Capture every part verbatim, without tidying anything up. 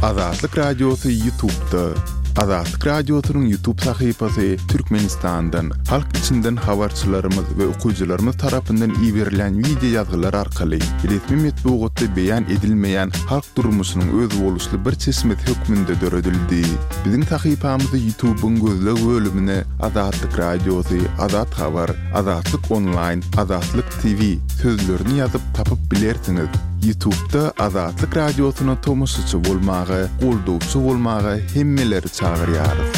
Azatlyk Radiosy YouTube'da. Azatlyk Radiosynyň YouTube sahypasy Türkmenistandan, halk içinden habarçylarymyz we okyjylarymyz tarapyndan iberilen wideo ýazgylar arkaly resmi metbugatda beýan edilmeýän halk durmuşynyň özboluşly bir çeşmesi hökmünde döredildi. Biziň sahypamyzy YouTube'yň gözleg bölümine Azatlyk Radiosy, Azat Habar, Azatlyk Online, Azatlyk T V sözlerini ýazyp tapyp bilersiňiz. YouTube'da Azatlyk Radiosyna tomaşaçy bolmaga, goldawçy bolmaga hemmeleri çagyrýarys.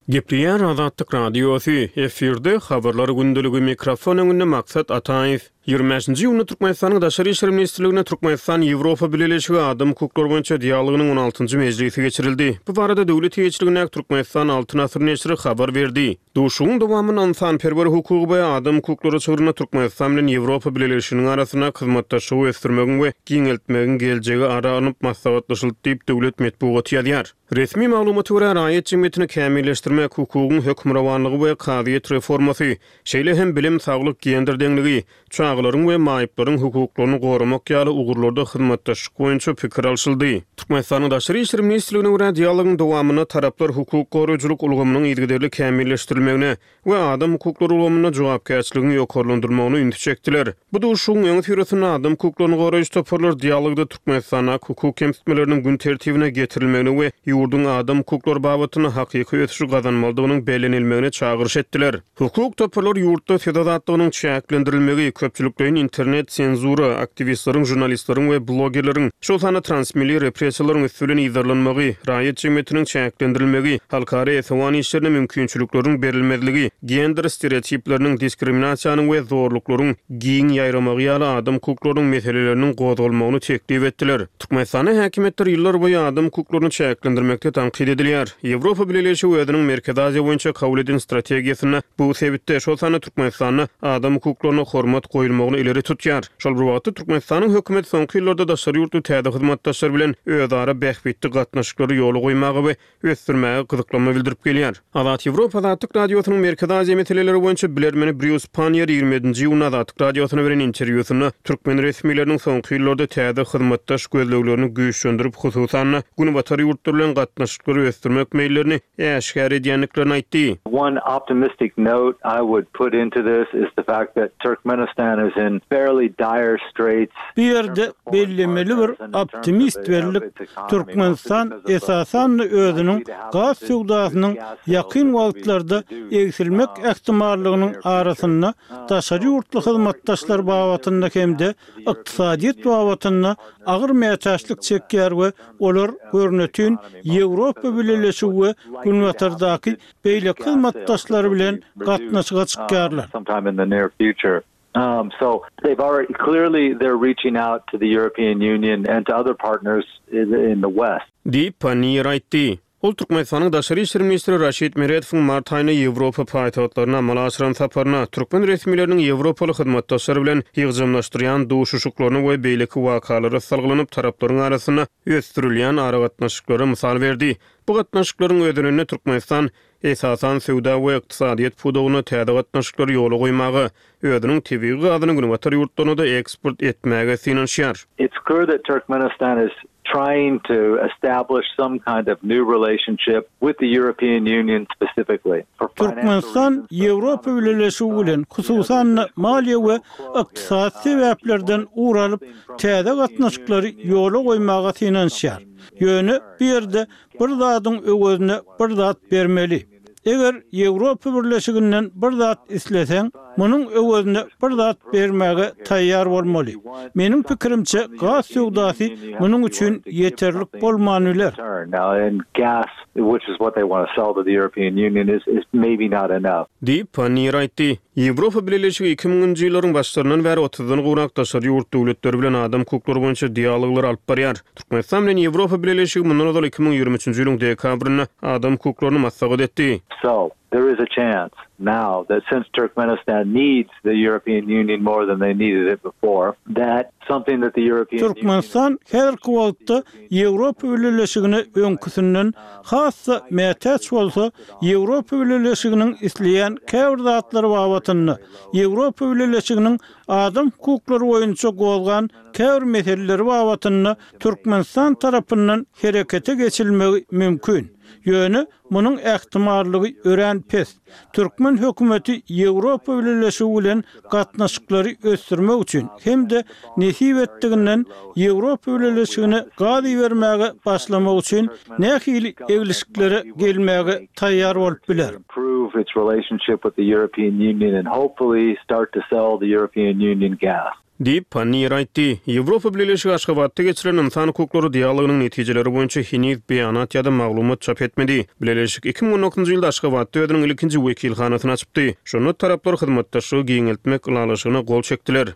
Gepleýär Azatlyk Radiosy, efirde habarlar gündeligi, mikrofon öňünde Maksat Ataýew. ýigrimi bäşinji iýunda Türkmenistanyň Daşary işler ministrliginde Türkmenistan-Ýewropa Bileleşigi adam hukuklary boýunça dialogynyň on altynjy mejlisi geçirildi. Bu barada döwlet eýeçiligindäki Türkmenistan Altyn Asyr neşiri habar berdi. Duşuşygyň dowamynda ynsanperwer hukugy we adam hukuklary çygrynda Türkmenistan bilen Ýewropa Bileleşiginiň arasynda hyzmatdaşlygy ösdürmegiň we giňeltmegiň geljegi ara alnyp maslahatlaşyldy diýip döwlet metbugaty ýazýar. Resmi maglumata görä, raýat jemgyýetini kämilleşdirmek, hukugyň hökmürowanlygy we kazyýet reformasy, şeýle hem bilim, saglyk, gender deňligi, çagalaryň we maýyplaryň hukuklaryny goramak ýaly ugurlarda hyzmatdaşlyk boýunça pikir alşyldy. Türkmenistanyň Daşary işler ministrligine görä, dialogyň dowamynda taraplar hukuk goraýjylyk ulgamynyň yzygiderli kämilleşdirilmegine we adam hukuklary ulgamynda jogapkärçiligiň ýokarlandyrylmagyna ünsi çekdiler. Bu duşuşygyň öňi syrasynda adam hukuklaryny goraýjy toparlar dialogda Türkmenistanda hukuk kemsitmeleriniň gün tertibine getirilmegine we ýurduň adam hukuklary babatynda hakyky ösüşi gazanmalydygynyň bellenilmegine çagyryş etdiler. Hukuk toparlar ýurtda söz azatlygynyň çäklendirilmegi, köpçülikleýin internet senzura, aktiwistleriň, jurnalistleriň we blogerleriň, şol sanda transmilli repressiýalaryň üsti bilen yzarlanmagy, raýat jemgyýetiniň çäklendirilmegi, halkara esewan işlerine mümkinçilikleriň berilmezligi, gender stereotipleriniň, diskriminasiýanyň we zorluklaryň giň ýaýramagy ýaly adam hukuklarynyň meseleleriniň gozgalmagyny teklip etdiler. Türkmenistanda häkimiýetler ýyllar boýy adam hukuklaryny çäklendirmekde tankyt edilýär. Ýewropa Bileleşigi özüniň Merkezi Aziýa boýunça kabul eden strategiýasynda bu sebitde, şol sanda Türkmenistanda adam hukuklaryna hormat goýulmagyny ileri tutýar. Şol bir wagtda Türkmenistanyň hökümeti soňky ýyllarda daşary ýurtly täze hyzmatdaşlar bilen özara bähbitli gatnaşyklary ýola goýmaga we ösdürmäge gyzyklanma bildirip gelýär. Azat Ýewropa Azatlyk Radiosynyň Merkezi Aziýa meseleleri boýunça bilermeni Brýus Pannier ýigrimi ýedinji iýunda Azatlyk Radiosyna beren interwýusynda türkmen resmileriniň soňky ýyllarda täze hyzmatdaş gözleglerini güýçlendirip, hususan-da Günbatar ýurtlary bilen gatnaşyklary ösdürmek meýillerini äşgär edýändiklerini aýtdy. One optimistic note I would put into this is the fact that Turkmenistan is in fairly dire straits. Bu ýerde bellemeli bir optimist berlik Türkmenistan esasan özüniň gaz söwdasynyň ýakyn wagtlarda egsilmek ähtimallygynyň arasynda daşary ýurtly hyzmatdaşlar babatynda hem-de ykdysadyýet babatynda agyr mätäçlik çekýär we olar görnütün Ýewropa Bileleşigi we Günbatardaky beýleki hyzmatdaşlar bilen gatnaşyga çykýarlar. Sometime in the near future. Um, so they've already clearly they're reaching out to the European Union and to other partners in, in the West. Diýip Pannier aýtdy. Ol Türkmenistanyň Daşary işler ministri Raşid Meredowyň mart aýynda Ýewropa paýtagtlaryna amala aşyran saparyna, türkmen resmileriniň Ýewropaly hyzmatdaşlar bilen ýygjamlaşdyrýan duşuşyklaryny we beýleki wakalara salgylanyp taraplaryň arasynda ösdürilýän aragatnaşyklara mysal berdi. Bu gatnaşyklaryň özeninde Türkmenistan esasan söwda we ykdysadyýet pudagyna täze gatnaşyklary ýola goýmaga, özüniň tebigy gazyny Günbatar ýurtlaryna-da eksport etmäge synanyşýar. It's clear that Turkmenistan is trying to establish some kind of new relationship with the European Union specifically. For financial Türkmenistan reasons, Ýewropa Bileleşigi bilen hususan maliýe we ykdysady sebäplerden ugur alyp täze gatnaşyklary ýola goýmaga synanyşýar. Ýöne bu ýerde bir zadyň öwezine bir zat bermeli. Eger Ýewropa Birleşiginden bir zat isleseň, munuň öwezine bir zat bermäge taýýar bolmaly. Meniň pikirimçe gaz söwdasy munuň üçin ýeterlik bolman biler. Now, and gas, which is what they want to sell to the European Union, is, is maybe not enough. Diýip Pannier aýtdy. Ýewropa Bileleşigi iki müňünji ýyllaryň başlaryndan bäri otuzdan gowrak daşary ýurt döwletleri bilen adam hukuklary boýunça dialoglary alyp barýar. Türkmenistan bilen Ýewropa Bileleşigi mundan ozal iki müň ýigrimi üçünji ýylyň dekabrynda adam hukuklaryny maslahat etdi. So, There is a chance now that since Turkmenistan needs the European Union more than they needed it before, that something that the European Türkmenistan häzirki wagtda Ýewropa Bileleşigine öňküsinden has-da mätäç bolsa, Ýewropa Bileleşiginiň isleýän käbir zatlary babatynda Ýewropa Bileleşiginiň adam hukuklary boýunça gozgan käbir meseleleri babatynda Türkmenistan tarapyndan herekete geçilmegi mümkin. Ýöne munuň ähtimallygy örän pes. Türkmen hökümeti Ýewropa Bileleşigi bilen gatnaşyklary ösdürmek üçin hem-de nesip etdiginden Ýewropa Bileleşigine gaz ibermäge başlamak üçin nähili eglişiklere gelmäge taýýar bolup biler. improve its relationship with the European Union and hopefully start to sell the European Union gas. Diýip, Panniýer aýtdy. Ýewropa Bileleşigi Aşgabatda geçirilen ynsan hukuklary dialogynyň netijeleri boýunça heniz beýanat ýa-da maglumat çap etmedi. Bileleşik iki müň on dokuzynjy ýylda Aşgabatda özüniň ilkinji wekilhanasyny açypdy. Şonda taraplar hyzmatdaşlygy giňeltmek ylalaşygyna gol çekdiler.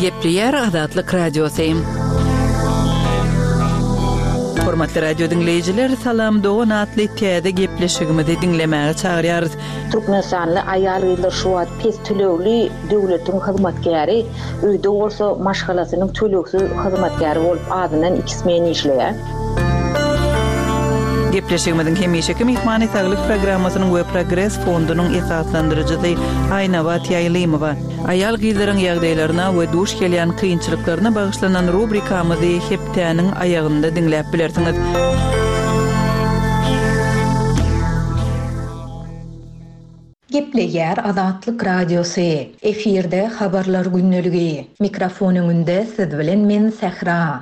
Gepleýär Azatlyk Radiosy. Hormatly radio diňleýjiler, Salam Dogan atly täze gepleşigimizi diňlemäge çagyrýarys. Türkmenistanly aýal-gyzlar şu wagt pes tölegli döwletiň hyzmatkäri, öýde bolsa maşgalasynyň tölegsiz hyzmatkäri bolup azyndan iki smen işleýär. Gepleşigimiziň hemişeki myhmany saglyk programmasynyň we Progres fondunyň esaslandyryjysy Aýnabat Ýaýlymowa. Aýal gyzlaryň ýagdaýlaryna we duş gelýän kynçylyklaryna bagyşlanan rubrikamyzy hepdäniň aýagynda diňläp bilersiňiz. Gepleýär Azatlyk Radiosy. Efirde habarlar gündeligi. Mikrofon öňünde siz bilen men Sähra.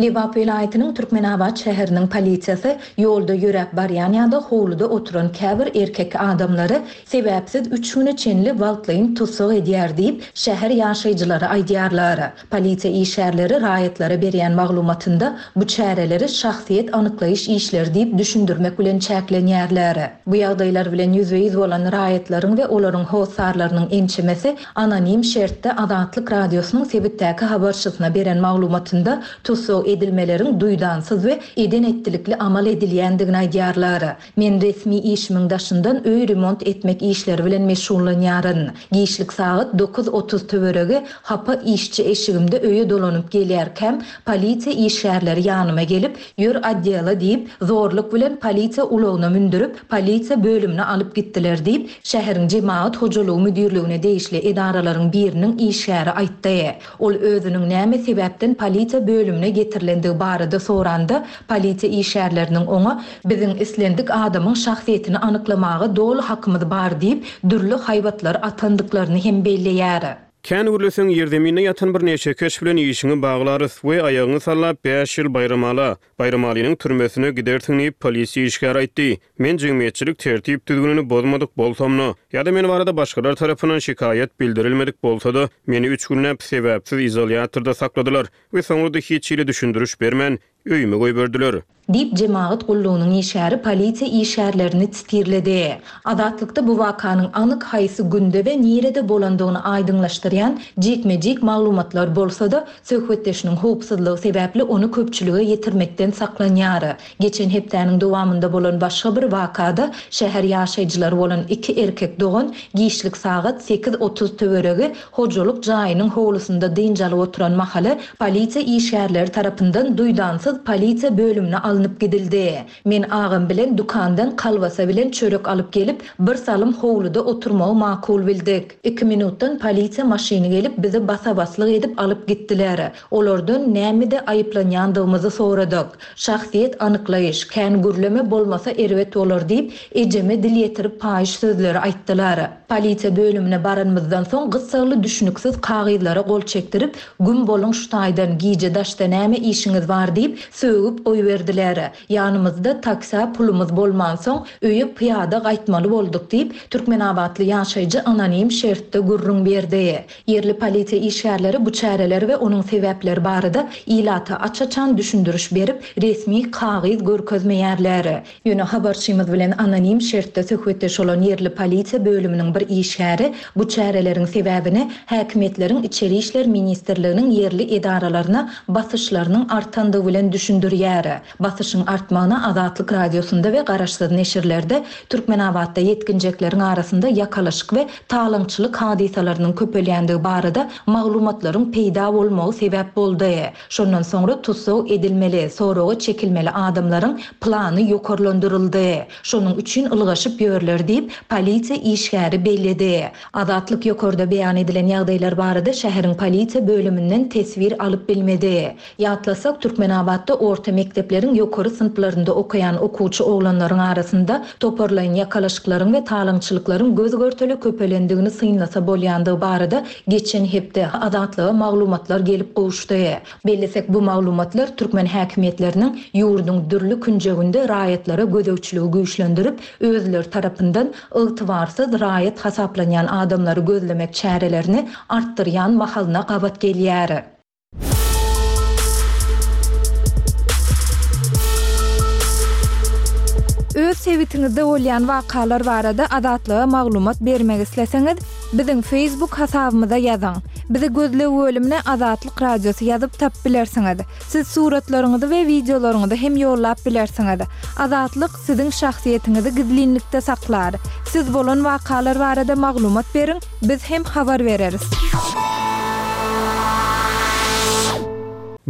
Lebap welaýatynyň Türkmenabat şäheriniň polisiýasy ýolda ýöräp barýan ýa-da howluda oturan käbir erkek adamlary sebäpsiz üç güne çenli wagtlaýyn tussag edýär diýip, şäher ýaşaýjylary aýdýarlar. Polisiýa işgärleri raýatlara berýän maglumatynda bu çäreleri şahsyýet anyklaýyş işleri diýip düşündirmek bilen çäklenýärler. Bu ýagdaýlar bilen ýüzbe-ýüz bolan raýatlaryň we olaryň hossarlarynyň ençemesi anonim şertde Azatlyk Radiosynyň sebitdäki habarçysyna beren maglumatynda tussag edilmeleriň duýdansyz we eden etdilikli amal edilýändigini aýdýarlar. Men resmi işimiň daşyndan öý remont etmek işleri bilen meşgullanýaryn. Giçlik sagat dokuz otuz töweregi hapa işçi eşigimde öýe dolanyp gelýärkäm, polisiýa işgärleri ýanyma gelip, ýör odela diýip, zorluk bilen polisiýa ulagyna mündürip, polisiýa bölümine alyp gitdiler diýip, şäheriň jemagat hojalygy müdirligine degişli edaralaryň biriniň işgäri aýtdy. Ol özüniň näme sebäpden polisiýa bölümine getirilendigi barada soranda, polisiýa işgärleriniň oňa biziň islendik adamyň şahsyýetini anyklamaga doly hakymyz bar diýip, dürli haýbatlar atandyklaryny hem belleýär. Kän gürleseň ýerzeminde ýatan bir neşekeş bilen işiňi baglarys we aýagyňy sallap bäş ýyl Baýramala, Baýramalynyň türmesine gidersiň diýip polisiýa işgäri aýtdy. Men jemgyýetçilik tertip düzgünini bozmadyk bolsamda, ýa-da men barada başgalar tarapyndan şikaýat bildirilmedik bolsa-da, meni üç günläp sebäpsiz izolýatorda sakladylar we soňra-da hiç hili düşündiriş bermän öýüme goýberdiler. Diýip jemagat gullugynyň işgäri polisiýa işgärlerini titirledi. Azatlykda bu wakanyň anyk haýsy günde we nirede bolandygyny aýdyňlaşdyrýan jikme-jik maglumatlar bolsa-da, söhbetdeşiniň howpsuzlygy sebäpli ony köpçülige ýetirmekden saklanýar. Geçen hepdäniň dowamynda bolan başga bir wakada şäher ýaşaýjylary bolan iki erkek dogan giçlik sagat sekiz otuz töweregi hojalyk jaýynyň howlusynda dynç alyp oturan mahaly polisiýa işgärleri tarapyndan duýdansyz polisiýa bölümine alnyp gidildi. Men agam bilen dükandan kalbasa bilen çörek alyp gelip, bir salym howluda oturmagy makul bildik. Iki minutdan polisiýa maşyny gelip bizi basabaslyk edip alyp gitdiler. Olardan nämede aýyplanýandygymyzy soradyk. Şahsyýet anyklaýyş, kän gürleme bolmasa erbet bolar diýip, ejeme dil ýetirip paýyş sözleri aýtdylar. Polisiýa bölümine baranymyzdan soň gyssagly düşüniksiz kagyzlara gol çekdirip, güm boluň şu taýdan gije daşda näme işiňiz bar diýip, sögüp goýberdiler. Ýanymyzda taksä pulumyz bolmansoň, öýe pyýada gaýtmaly bolduk diýip, türkmenabatly ýaşaýjy anonim şertde gürrüň berdi. Ýerli polisiýa işgärleri bu çäreler we onuň sebäpleri barada ilata aç-açan düşündiriş berip, resmi kagyz görkezmeýärler. Ýöne habarçymyz bilen anonim şertde söhbetdeş bolan ýerli polisiýa bölüminiň bir işgäri bu çäreleriň sebäbini häkimiýetleriň Içeri işler ministrliginiň ýerli edaralaryna basyşlarynyň artandygy bilen düşündirýär. Basyşyň artmagyna Azatlyk Radiosynda we garaşsyz neşirlerde Türkmenabatda ýetginjekleriň arasynda ýakalaşyk we talaňçylyk hadysalarynyň köpelýändigi barada maglumatlaryň peýda bolmagy sebäp boldy. Şondan soňra tussag edilmeli, soraga çekilmeli adamlaryň plany ýokarlandyryldy. Şonuň üçin ylgaşyp ýörler diýip, polisiýa işgäri belledi. Azatlyk ýokarda beýan edilen ýagdaýlar barada şäheriň polisiýa bölüminden teswir alyp bilmedi. Ýatlasak, Türkmenabatda orta mekdepleriň ýokary synplarynda okaýan okuwçy oglanlaryň arasynda toparlaýyn ýakalaşyklaryň we talaňçylyklaryň göz görtele köpelendigini synlasa bolýandygy barada geçen hepde Azatlyga maglumatlar gelip gowuşdy. Bellesek, bu maglumatlar türkmen häkimiýetleriniň ýurduň dürli künjeginde raýatlara gözegçiligi güýçlendirip, özleri tarapyndan ygtybarsyz raýat hasaplanýan adamlary gözlemek çärelerini artdyrýan mahalyna gabat gelýär. Öz sebitiňizde bolýan wakalar barada Azatlyga maglumat bermek isleseňiz, biziň Facebook hasabymyza ýazyň. Bizi gözleg bölümine Azatlyk Radiosy ýazyp tapyp bilersiňiz. Siz suratlaryňyzy we wideolaryňyzy hem ýollap bilersiňiz. Azatlyk siziň şahsyýetiňizi gizlinlikde saklar. Siz bolan wakalar barada maglumat beriň, biz hem habar bereris.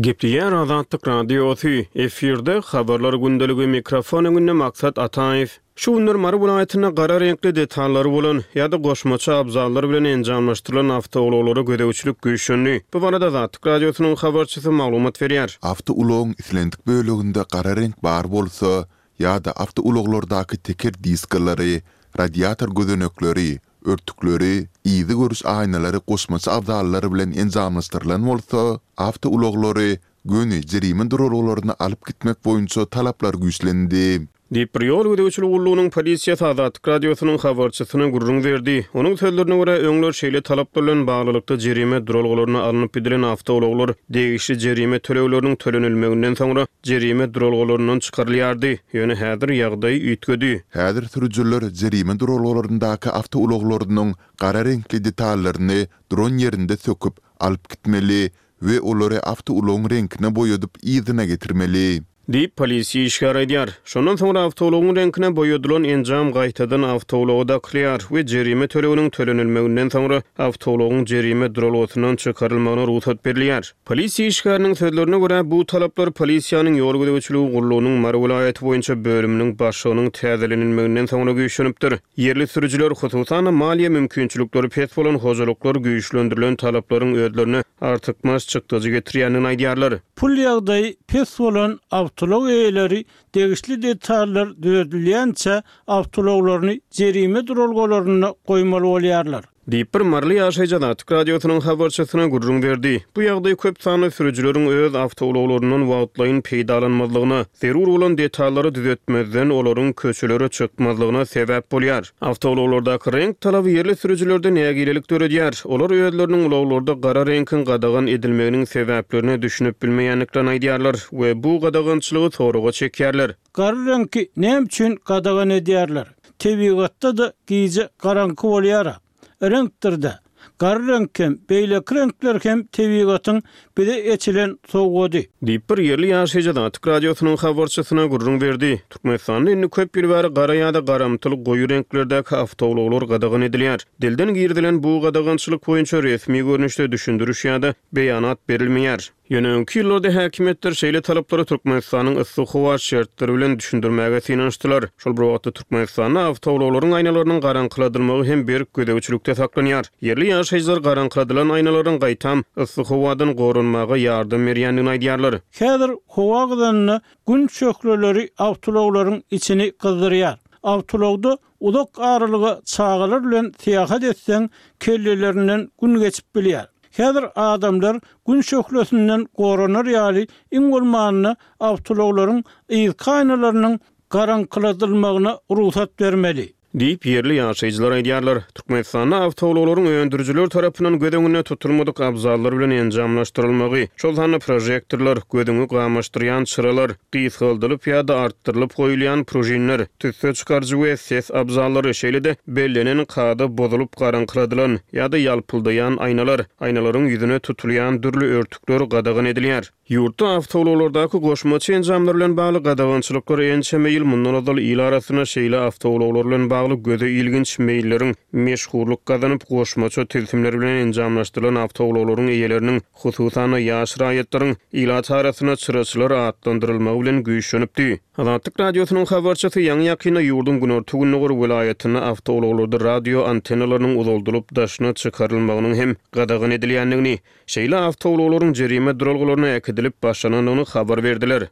Gepleýär Azatlyk Radiosy, efirde habarlar gündeligi, mikrofon öňünde Maksat Ataýew. Şu günler Mary welaýatynda gara reňkli detallary bolan ýa-da goşmaça abzallar bilen enjamlaşdyrylan awtoulaglara gözegçilik güýçlendi. Bu barada Azatlyk Radiosynyň habarçysy maglumat berýär. Awtoulagyň islendik böleginde gara reňk bar bolsa ýa-da awtoulaglardaky teker diskalary, radiator gözenekleri, örtükleri, yzy görüş aýnalary goşmaça abzallar bilen enjamlaşdyrylan bolsa, awtoulaglary göni jerime duralgalaryna alyp gitmek boýunça talaplar güýçlendi. Diýip, bir ýol gözegçilik gullugynyň polisiýasy Azatlyk Radiosynyň habarçysyna gürrüň berdi. Onuň sözlerine görä, öňler şeýle talaplar bilen baglylykda jerime duralgalaryna alnyp gidilen awtoulaglar degişli jerime tölegleriniň tölenilmeginden soňra jerime duralgalaryndan çykarylýardy. Ýöne häzir ýagdaý üýtgedi. Häzir sürüjiler jerime duralgalaryndaky awtoulaglarynyň gara reňkli detallaryny duran ýerinde söküp alyp gitmeli we olary awtoulagyň reňkine boýadyp yzyna getirmeli. Diýip, polisiýa işgäri aýdýar. Şondan soňra awtoulagyň reňkine boýadylan enjam gaýtadan awtoulaga dakylýar we jerime töleginiň tölenilmeginden soňra awtoulagyň jerime duralgasyndan çykarylmagyna rugsat berilýär. Polisiýa işgäriniň sözlerine görä, bu talaplar polisiýanyň ýol gözegçiligi gullugynyň Mary welaýaty boýunça bölüminiň başlygynyň täzelenilmeginden soňra güýçlenipdir. Ýerli sürüjiler, hususan-da maliýe mümkinçilikleri pes bolan hojalyklar güýçlendirilen talaplaryň özlerine artykmaç çykdajy getirýändigini aýdýarlar. Pul ýagdaýy pes bolan awtoulag eýeleri degişli detallar düzedilýänçä awtoulaglaryny jerime duralgalarynda goýmaly bolýarlar. Diýip, bir maryly ýaşaýjy Azatlyk Radiosynyň habarçysyna gürrüň berdi. Bu ýagdaý köp sanly sürüjileriň öz awtoulaglaryndan wagtlaýyn peýdalanmazlygyna, zerur bolan detallary düzetmezden olaryň köçelere çykmazlygyna sebäp bolýar. Awtoulaglardaky reňk talaby ýerli sürüjilerde nägilelik döredýär. Olar özleriniň ulaglarda gara reňkiň gadagan edilmeginiň sebäplerine düşünip bilmeýändiklerini aýdýarlar we bu gadagançylygy soraga çekýärler. Gara reňki näme üçin gadagan edýärler? Tebigatda-da gije garaňky bolýar. Reňkdir-de. Gara reňk hem, beýleki reňkler hem tebigatyň bize eçilen sowgady. Diýip, bir ýerli ýaşaýjy Azatlyk Radiosynyň habarçysyna gürrüň berdi. Türkmenistanda indi köp ýyl bäri gara ýa-da garamtyl goýy reňklerdäki awtoulaglar gadagan edilýär. Dilden girizilen bu gadagançylyk boýunça resmi görnüşde düşündiriş ýa-da beýanat berilmeýär. Ýöne öňki ýyllarda häkimiýetler şeýle talaplary Türkmenistanyň yssy howa şertleri bilen düşündirmäge synanyşdylar. Şol bir wagtda Türkmenistanda awtoulaglaryň aýnalarynyň garaňkyladylmagy hem berk gözegçilikde saklanýar. Ýerli ýaşaýjylar garaňkyladylan aýnalaryň gaýtam yssy howadan goranmaga ýardam berýändigini aýdýarlar. Häzir howa gyzanynda gün şöhleleri awtoulaglaryň içini gyzdyrýar. Awtoulagda uzak aralyga çagalar bilen syýahat etseň, kellelerinden gün geçip bilýär. Häzir adamlar Gün şöhlesinden goranar ýaly iň bolmanda awtoulaglaryň yzky aýnalarynyň garaňkyladylmagyna rugsat bermeli. Diýip, ýerli ýaşaýjylar aýdýarlar. Türkmenistanda awtoulaglaryň öndürijiler tarapyndan göz öňünde tutulmadyk abzallar bilen enjamlaşdyrylmagy, şol sanda prožektorlar, gözüňi gamaşdyrýan çyralar, gysgaldylyp ýa-da artdyrylyp goýulýan pružinler, tüsse çykaryjy we ses abzallary, şeýle-de bellenen kada bozulyp garaňkyradylan ýa-da ýalpyldaýan aýnalar, aýnalaryň ýüzüne tutulýan dürli örtükler gadagan edilýär. Ýurtda awtoulaglardaky goşmaça enjamlar bilen bagly gadagançylyklar ençeme ýyl mundan ozal il arasynda şeýle awtoulaglar bilen bagly göze ilginç meýilleriň meşhurlyk gazanyp, goşmaça tilsimler bilen enjamlaşdyrylan awtoulaglaryň eýeleriniň, hususan-da, ýaş raýatlaryň ilat arasynda çyraçylar atlandyrylmagy bilen güýçlenipdi. Azatlyk Radiosynyň habarçysy ýaňy-ýakynda ýurduň günorta-gündogar welaýatynda awtoulaglarda radio antennalarynyň uzaldylyp daşyna çykarylmagynyň hem gadagan edilýändigini, şeýle awtoulaglaryň jerime duralgalaryna äkidilip başlanandygyny habar berdiler.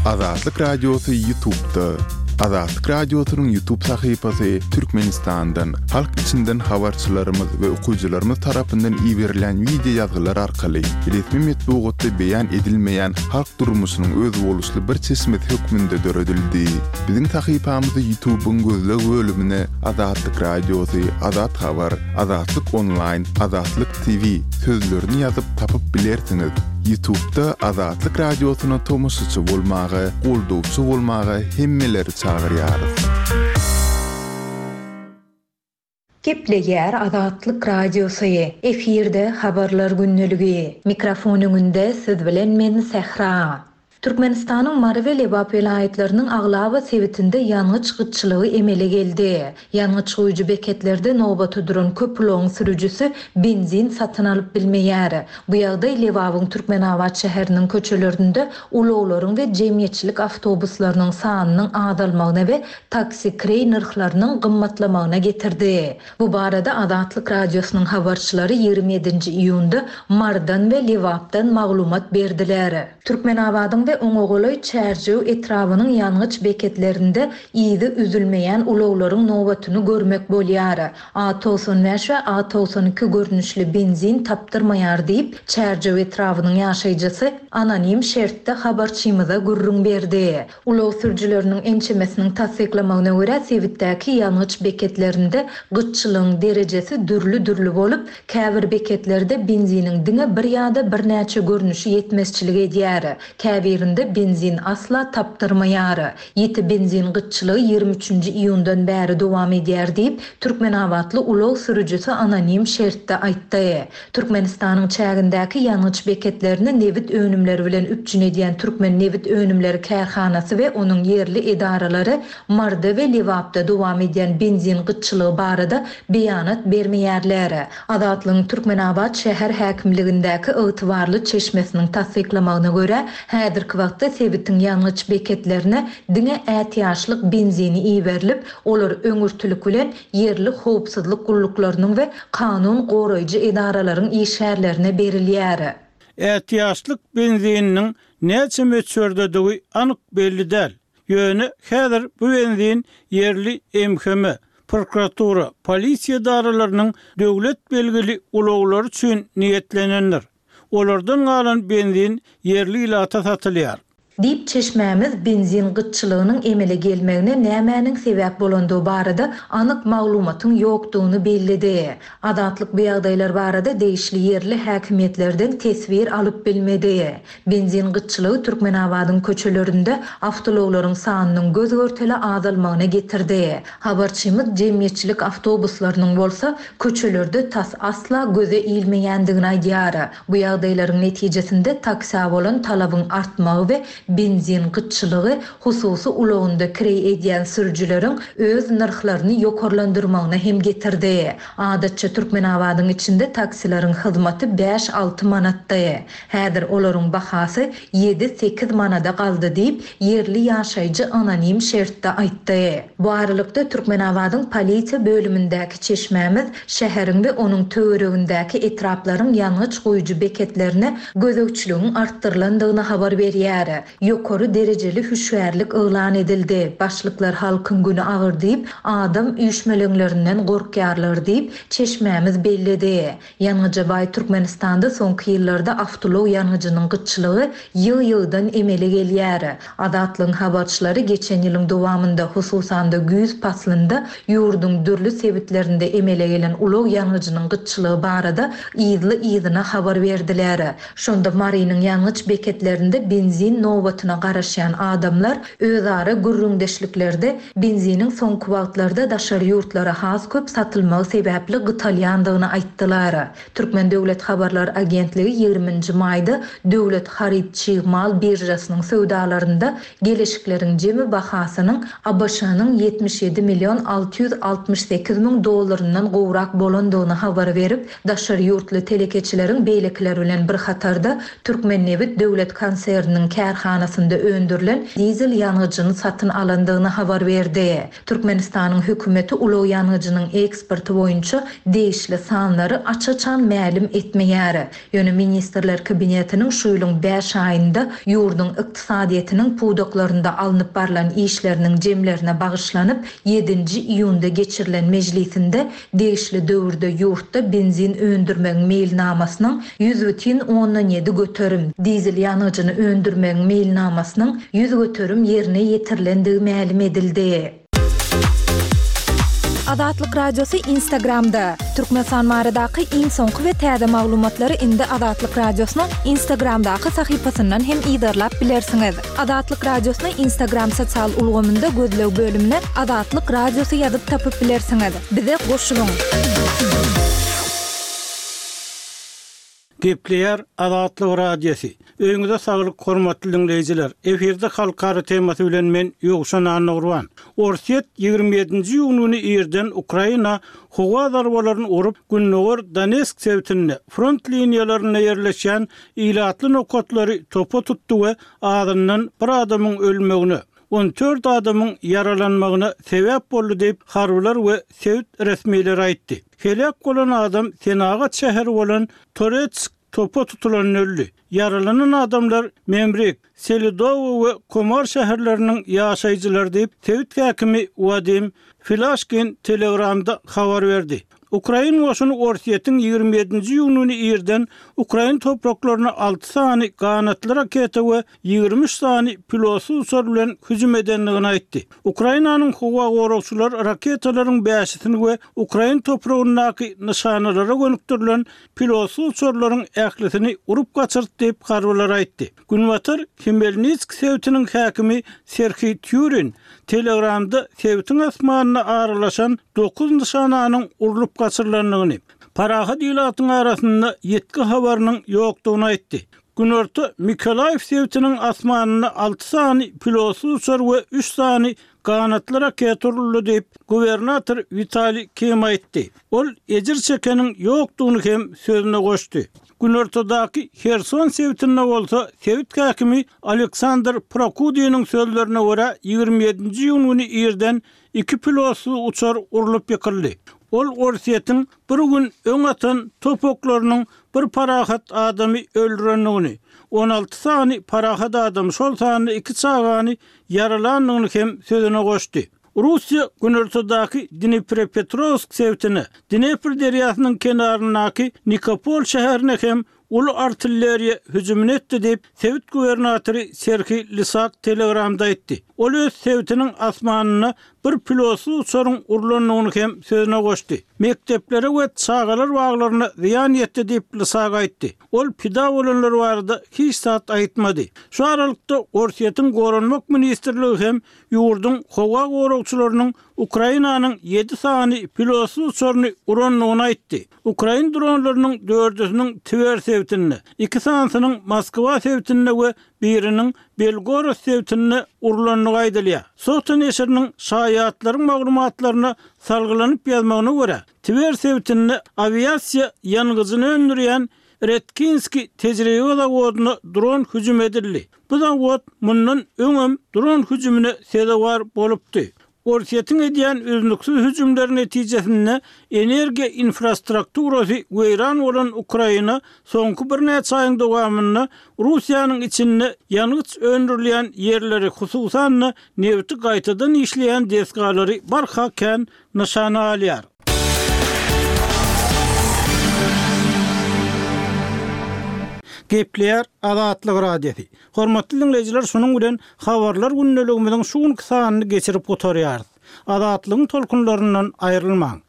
Azatlyk Radiosy Ýutubda. Azatlyk Radiosynyň Ýutub sahypasy Türkmenistandan, halk içinden habarçylarymyz we okyjylarymyz tarapyndan iberilýän wideo ýazgylar arkaly resmi metbugatda beýan edilmeýän halk durmuşynyň özboluşly bir çeşmesi hökmünde döredildi. Biziň sahypamyzy Ýutubyň gözleg bölümine Azatlyk Radiosy, Azat Habar, Azatlyk Onlaýn, Azatlyk TV sözlerini ýazyp tapyp bilersiňiz. Ýutubda Azatlyk Radiosyna tomaşaçy bolmaga, goldawçy bolmaga hemmeleri çagyrýarys. Gepleýär Azatlyk Radiosy, efirde Habarlar gündeligi. Mikrofon öňünde siz bilen men Sähra. Türkmenistanyň Mary we Lebap welaýatlarynyň aglaba sebitinde ýangyç gytçylygy emele geldi. Ýangyç guýujy beketlerde nobata duran köp ulagyň sürüjisi benzin satyn alyp bilmeýär. Bu ýagdaý Lebabyň Türkmenabat şäheriniň köçelerinde ulaglaryň we jemgyýetçilik awtobuslarynyň sanynyň azalmagyna we taksi kireý nyrhlarynyň gymmatlamagyna getirdi. Bu barada Azatlyk Radiosynyň habarçylary ýigrimi ýedinji iýunda Marydan we Lebapdan maglumat berdiler. Türkmenabadyň we oňa golaý Çärjew etrabynyň ýangyç beketlerinde yzy üzülmeýän ulaglaryň nobatyny görmek bolýar. A togsan bäş we A togsan iki görnüşli benzin tapdyrmaýar diýip, Çärjew etrabynyň ýaşaýjysy anonim şertde habarçymyza gürrüň berdi. Ulag sürüjileriniň ençemesiniň tassyklamagyna görä, sebitdäki ýangyç beketlerinde gytçylygyň derejesi dürli-dürli bolup, käbir beketlerde benziniň diňe bir ýa-da birnäçe görnüşi ýetmezçilik edýär, käbirinde benzin asla tapdyrmaýar. Ýiti benzin gytçylygy ýigrimi üçünji iýundan bäri dowam edýär diýip, türkmenabatly ulag sürüjisi anonim şertde aýtdy. Türkmenistanyň çägindäki ýangyç beketlerini nebit önümleri bilen üpjün edýän Türkmennebitönümleri kärhanasy we onuň ýerli edaralary Maryda we Lebapda dowam edýän benzin gytçylygy barada beýanat bermeýärler. Azatlygyň Türkmenabat şäher häkimligindäki ygtybarly çeşmesiniň tassyklamagyna görä, häzirki wagtda sebitiň ýangyç beketlerine diňe ätiýaçlyk benzini iberilip, olar öňürtilik bilen ýerli howpsuzlyk gulluklarynyň we kanun goraýjy edaralaryň işgärlerine berilýär. Ätiýaçlyk benzininiň näçe möçberdedigi anyk belli däl. Ýöne häzir bu benzin ýerli MHM, prokuratura, polisiýa edaralarynyň döwlet belgili ulaglary üçin niýetlenendir. Olardan galan benzin ýerli ilata satylýar. Diýip, çeşmämiz benzin gytçylygynyň emele gelmegine nämäniň sebäp bolandygy barada anyk maglumatyň ýokdugyny belledi. Azatlyk bu ýagdaýlar barada degişli ýerli häkimiýetlerden teswir alyp bilmedi. Benzin gytçylygy Türkmenabadyň köçelerinde awtoulaglaryň sanynyň göz-görtele azalmagyna getirdi. Habarçymyz jemgyýetçilik awtobuslarynyň bolsa köçelerde tas asla göze ilmeýändigini aýdýar. Bu ýagdaýlaryň netijesinde taksä bolan talabyň artmagy we benzin gytçylygy hususy ulagynda kireý edýän sürüjileriň öz nyrhlaryny ýokarlandyrmagyna hem getirdi. Adatça Türkmenabadyň içinde taksileriň hyzmaty bäş-alty manatdy. Häzir olaryň bahasy ýedi-sekiz manada galdy diýip, ýerli ýaşaýjy anonim şertde aýtdy. Bu aralykda, Türkmenabadyň polisiýa bölümindäki çeşmämiz şäheriň we onuň töweregindäki etraplaryň ýangyç guýujy beketlerine gözegçiligiň artdyrylandygyny habar berýär. Ýokary derejeli hüşgärlik yglan edildi. Başlyklar halkyň güni agyr diýip, adam üýşmeleňlerinden gorkýarlar diýip, çeşmämiz belledi. Ýangyja baý Türkmenistanda soňky ýyllarda awtoulag ýangyjynyň gytçylygy ýygy-ýygydan emele gelýär. Azatlygyň habarçylary geçen ýylyň dowamynda, hususan-da güýz paslynda ýurduň dürli sebitlerinde emele gelen ulag ýangyjynyň gytçylygy barada yzly-yzyna habar berdiler. Şonda Marynyň ýangyç beketlerinde benzin nobatyna garaşýan adamlar özara gürrüňdeşliklerde benziniň soňky wagtlarda daşary ýurtlara has köp satylmagy sebäpli gytalýandygyny aýtdylar. Türkmen döwlet habarlar agentligi ýigriminji maýda döwlet haryt çig mal biržasynyň söwdalarynda geleşikleriň jemi bahasynyň ABŞ-nyň ýetmiş ýedi million alty ýüz altmyş sekiz müň dollaryndan gowrak bolandygyny habar berip, daşary ýurtly telekeçileriň beýlekiler bilen bir hatarda Türkmennebit döwlet konserniniň kärhanasynda öndürilen dizel ýangyjyny satyn alandygyny habar berdi. Türkmenistanyň hökümeti ulag ýangyjynyň eksporty boýunça degişli sanlary aç-açan mälim etmeýär. Ýöne Ministrler Kabinetiniň şu ýylyň bäş aýynda ýurduň ykdysadyýetiniň pudaklarynda alnyp barlan işleriniň jemlerine bagyşlanyp, ýedinji iýunda geçirilen mejlisinde degişli döwürde ýurtda benzin öndürmegiň meýilnamasynyň ýüz bütin ondan ýedi göterim, dizel ýangyjyny öndürmegiň meýilnamasynyň ýüz göterim ýerine ýetirilendigi mälim edildi. Azatlyk Radiosy Instagramda. Türkmenistan baradaky iň soňky we täze maglumatlary indi Azatlyk Radiosynyň Instagramdaky sahypasyndan hem yzarlap bilersiňiz. Azatlyk Radiosyny Instagram sosial ulgamynda gözleg bölümine Azatlyk Radiosy ýazyp tapyp bilersiňiz. Bize goşulyň! Gepleýär Azatlyk Radiosy. Öýüňize saglyk, hormatly diňleýjiler. Efirde halkara temasy bilen men Ýowşan Annagurban. Orsýet ýigrimi ýedinji iýun güni irden Ukraina howa zarbalaryny urup, Gündogar Donetsk sebitinde front liniýalarynda ýerleşýän ilatly nokatlary topa tutdy we azyndan bir adamyň ölmegine, on dört adamyň ýaralanmagyna sebäp boldy diýip, harbylar we sebit resmileri aýtdy. Heläk bolan adam senagat şäheri bolan Toretsk topa tutulan öldi. Ýaralanan adamlar Memrik, Selidowo we Komar şäherleriniň ýaşaýjylary diýip, sebit häkimi Wadim Filaşkin Telegramda habar berdi. Ukrain goşuny Orsýetiň ýigrimi ýedinji iýun güni irden ukrain topraklaryna alty sany ganatly raketa we ýigrimi üç sany pilotsyz uçar bilen hüjüm edendigini aýtdy. Ukrainanyň howa goragçylary raketalaryň bäşisini we ukrain topragyndaky nyşanalara gönükdirilen pilotsyz uçarlaryň ählisini urup gaçyrdy diýip, harbylar aýtdy. Günbatar Hmelnitsk sebitiniň häkimi Serhiý Týurin Telegramda sebitiň asmanyna aralaşan dokuz nyşananyň urlup gaçyrylandygyny, parahat ilatyň arasynda ýitgi habarynyň ýokdugyny aýtdy. Günorta Mikolaýew sebitiniň asmanynda alty sany pilotsyz uçar we üç sany ganatly raketa uruldy diýip, gubernator Witaliý Kim aýtdy. Ol ejir çekeniň ýokdugyny hem sözüne goşdy. Günortadaky Herson sebitinde bolsa sebit häkimi Aleksandr Prokudiniň sözlerine görä, ýigrimi ýedinji iýun güni irden iki pilotsyz uçar urlup ýykyldy. Ol Orsýetiň bir gün öň atan top oklarynyň bir parahat adamy öldürendigini, on alty sany parahat adamy, şol sanda iki çagany ýaralandygyny hem sözüne goşdy. Russiýa günortadaky Dniprepetrowsk sebitine, Dnepr derýasynyň kenaryndaky Nikopol şäherine hem uly artilleriýa hüjümini etdi diýip, sebit gubernatory Serhiý Lisak Telegramda aýtdy. Ol öz sebitiniň asmanynda bir pilotsyz uçaryň urlandygyny hem sözüne goşdy. Mekdeplere we çagalar baglaryna zyýan ýetdi diýip, Lisak aýtdy. Ol pida bolanlar barada hiç zat aýtmady. Şu aralykda Orsýetiň Goranmak ministrligi hem ýurduň howa goragçylarynyň Ukrainanyň ýedi sany pilotsyz uçaryny urandygyny aýtdy. Ukrain dronlarynyň dördüsiniň Twer sebitinde, iki sanysynyň Moskwa sebitinde we biriniň Belgorod sebitinde urlandygy aýdylýar. Sota neşiriniň şaýatlaryň maglumatlaryna salgylanyp ýazmagyna görä, Twer sebitinde awiasiýa ýangyjyny öndürýän Redkinskiý tejribe zawodyna dron hüjüm edildi. Bu zawod mundan öňem dron hüjümine sezewar bolupdy. Orsýetiň edýän üznüksiz hüjümleri netijesinde energiýa infrastrukturasy weýran bolan Ukraina soňky birnäçe aýyň dowamynda Russiýanyň içinde ýangyç öndürilýän ýerleri, hususan-da, nebiti gaýtadan işleýän desgalary barha kän nyşana alýar. Gepleýär Azatlyk Radiosy. Hormatly diňleýjiler, şunuň bilen Habarlar gündeligimiziň şu günki sanyny geçirip gutarýarys. Azatlygyň tolkunlaryndan aýrylmaň!